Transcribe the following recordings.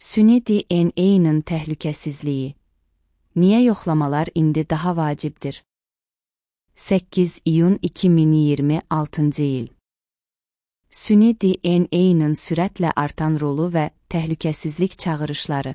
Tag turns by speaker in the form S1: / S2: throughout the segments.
S1: Süni DNA-nin təhlükəsizliyi. Niyə yoxlamalar indi daha vacibdir? 8 iyun 2026-cı il. Süni DNA-nin sürətlə artan rolu və təhlükəsizlik çağırışları.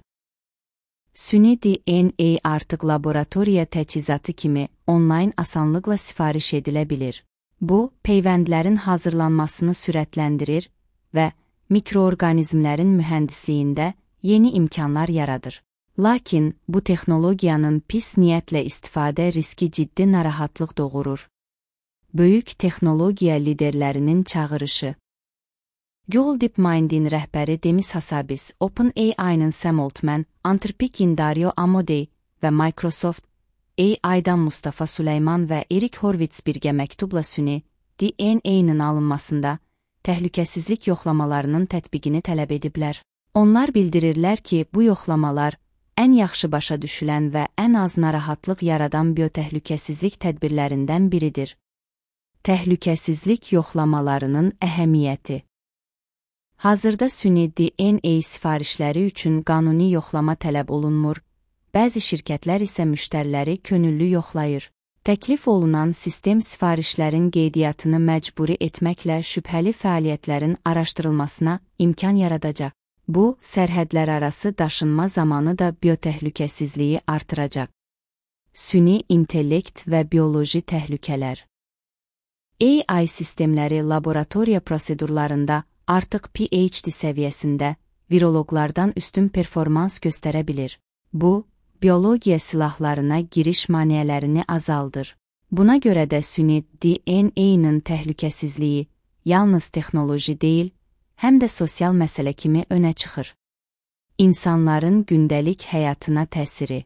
S1: Süni DNA artıq laboratoriya təchizatı kimi onlayn asanlıqla sifariş edilə bilir. Bu, peyvəndlərin hazırlanmasını sürətləndirir və mikroorqanizmlərin mühəndisliyində yeni imkanlar yaradır. Lakin bu texnologiyanın pis niyyətlə istifadə riski ciddi narahatlıq doğurur. Böyük texnologiya liderlərinin çağırışı. Google DeepMind'in rəhbəri Demis Hassabis, OpenAI-nın Sam Altman, Anthropic'in Dario Amodei və Microsoft AI-dan Mustafa Süleyman və Erik Horvitz birgə məktubla süni DNA-nin alınmasında təhlükəsizlik yoxlamalarının tətbiqini tələb ediblər. Onlar bildirirlər ki, bu yoxlamalar ən yaxşı başa düşülən və ən az narahatlıq yaradan biotəhlükəsizlik tədbirlərindən biridir. Təhlükəsizlik yoxlamalarının əhəmiyyəti. Hazırda süni DNA sifarişləri üçün qanuni yoxlama tələb olunmur, bəzi şirkətlər isə müştəriləri könüllü yoxlayır. Təklif olunan sistem sifarişlərin qeydiyyatını məcburi etməklə şübhəli fəaliyyətlərin araşdırılmasına imkan yaradacaq. Bu, sərhədlərarası daşınma zamanı da biotəhlükəsizliyi artıracaq. Süni intellekt və bioloji təhlükələr. AI sistemləri laboratoriya prosedurlarında artıq PhD səviyyəsində viroloqlardan üstün performans göstərə bilir. Bu, biologiya silahlarına giriş maneələrini azaldır. Buna görə də süni DNA-nin təhlükəsizliyi yalnız texnoloji deyil, həm də sosial məsələ kimi önə çıxır. İnsanların gündəlik həyatına təsiri.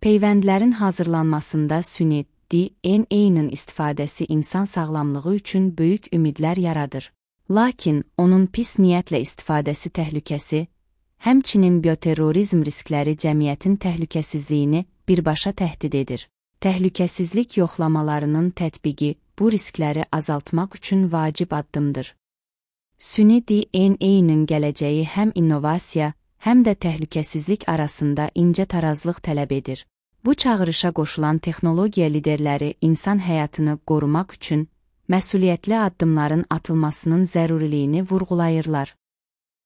S1: Peyvəndlərin hazırlanmasında süni DNA-nin istifadəsi insan sağlamlığı üçün böyük ümidlər yaradır. Lakin onun pis niyyətlə istifadəsi təhlükəsi, həmçinin bioterrorizm riskləri cəmiyyətin təhlükəsizliyini birbaşa təhdid edir. Təhlükəsizlik yoxlamalarının tətbiqi bu riskləri azaltmaq üçün vacib addımdır. Süni DNA-nin gələcəyi həm innovasiya, həm də təhlükəsizlik arasında incə tarazlıq tələb edir. Bu çağırışa qoşulan texnologiya liderləri insan həyatını qorumaq üçün məsuliyyətli addımların atılmasının zəruriliyini vurğulayırlar.